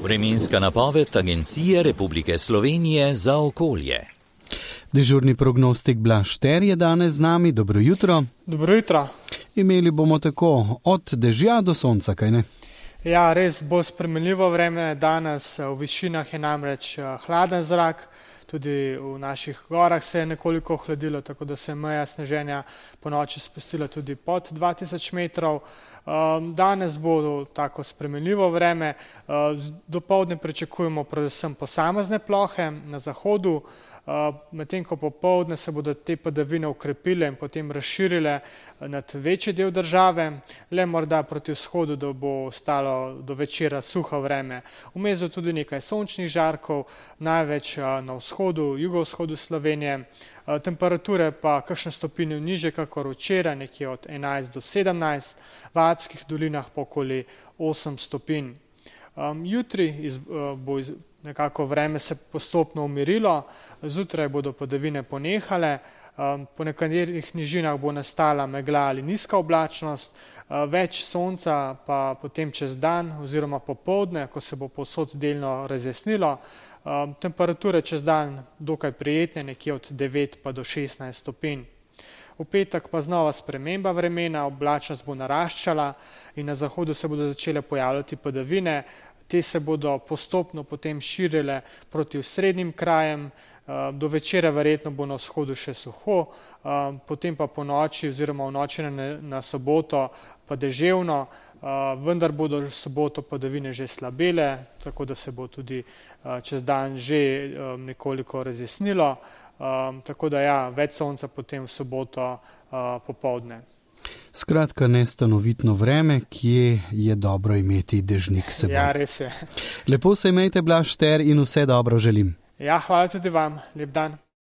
Vremenska napoved Agencije Republike Slovenije za okolje. Dežurni prognostik Blaž Ter je danes z nami. Dobro jutro. Dobro jutro. Imeli bomo tako od dežja do sonca, kaj ne? Ja, res bo spremenljivo vreme danes. V višinah je namreč hladen zrak. Tudi v naših gorah se je nekoliko ohladilo, tako da se je meja sneženja ponoči spustila tudi pod 2000 metrov. Danes bo tako spremenljivo vreme. Dopoldne pričakujemo predvsem posamezne plohe na zahodu, medtem ko popoldne se bodo te padavine ukrepile in potem razširile nad večji del države, le morda proti vzhodu, da bo ostalo do večera suho vreme. Vmes bo tudi nekaj sončnih žarkov, največ na vzhodu, jugovzhodu Slovenije. Temperature pa kakšne stopinje nižje kakor včeraj, nekje od 11 do 17, v Alpskih dolinah pa okoli 8 stopinj. Jutri bo nekako vreme se postopno umirilo, zjutraj bodo padavine ponehale, po nekaterih nižinah bo nastala megla ali nizka oblačnost, več sonca pa potem čez dan oziroma popoldne, ko se bo povsod delno razjasnilo. Temperature čez dan dokaj prijetne, nekje od 9 pa do 16 stopinj. V petek pa znova sprememba vremena, oblačnost bo naraščala in na zahodu se bodo začele pojavljati padavine. Te se bodo postopno potem širile proti osrednjim krajem, do večera verjetno bo na vzhodu še suho, potem pa po noči oziroma v noči na soboto pa deževno, vendar bodo v soboto padavine že slabele, tako da se bo tudi čez dan že nekoliko razjasnilo, tako da ja, več sonca potem v soboto popoldne. Skratka, nestanovitno vreme, kje je dobro imeti dežnik s seboj. Ja, res je. Lepo se imejte, Blaž Ter, in vse dobro želim. Ja, hvala tudi vam. Lep dan.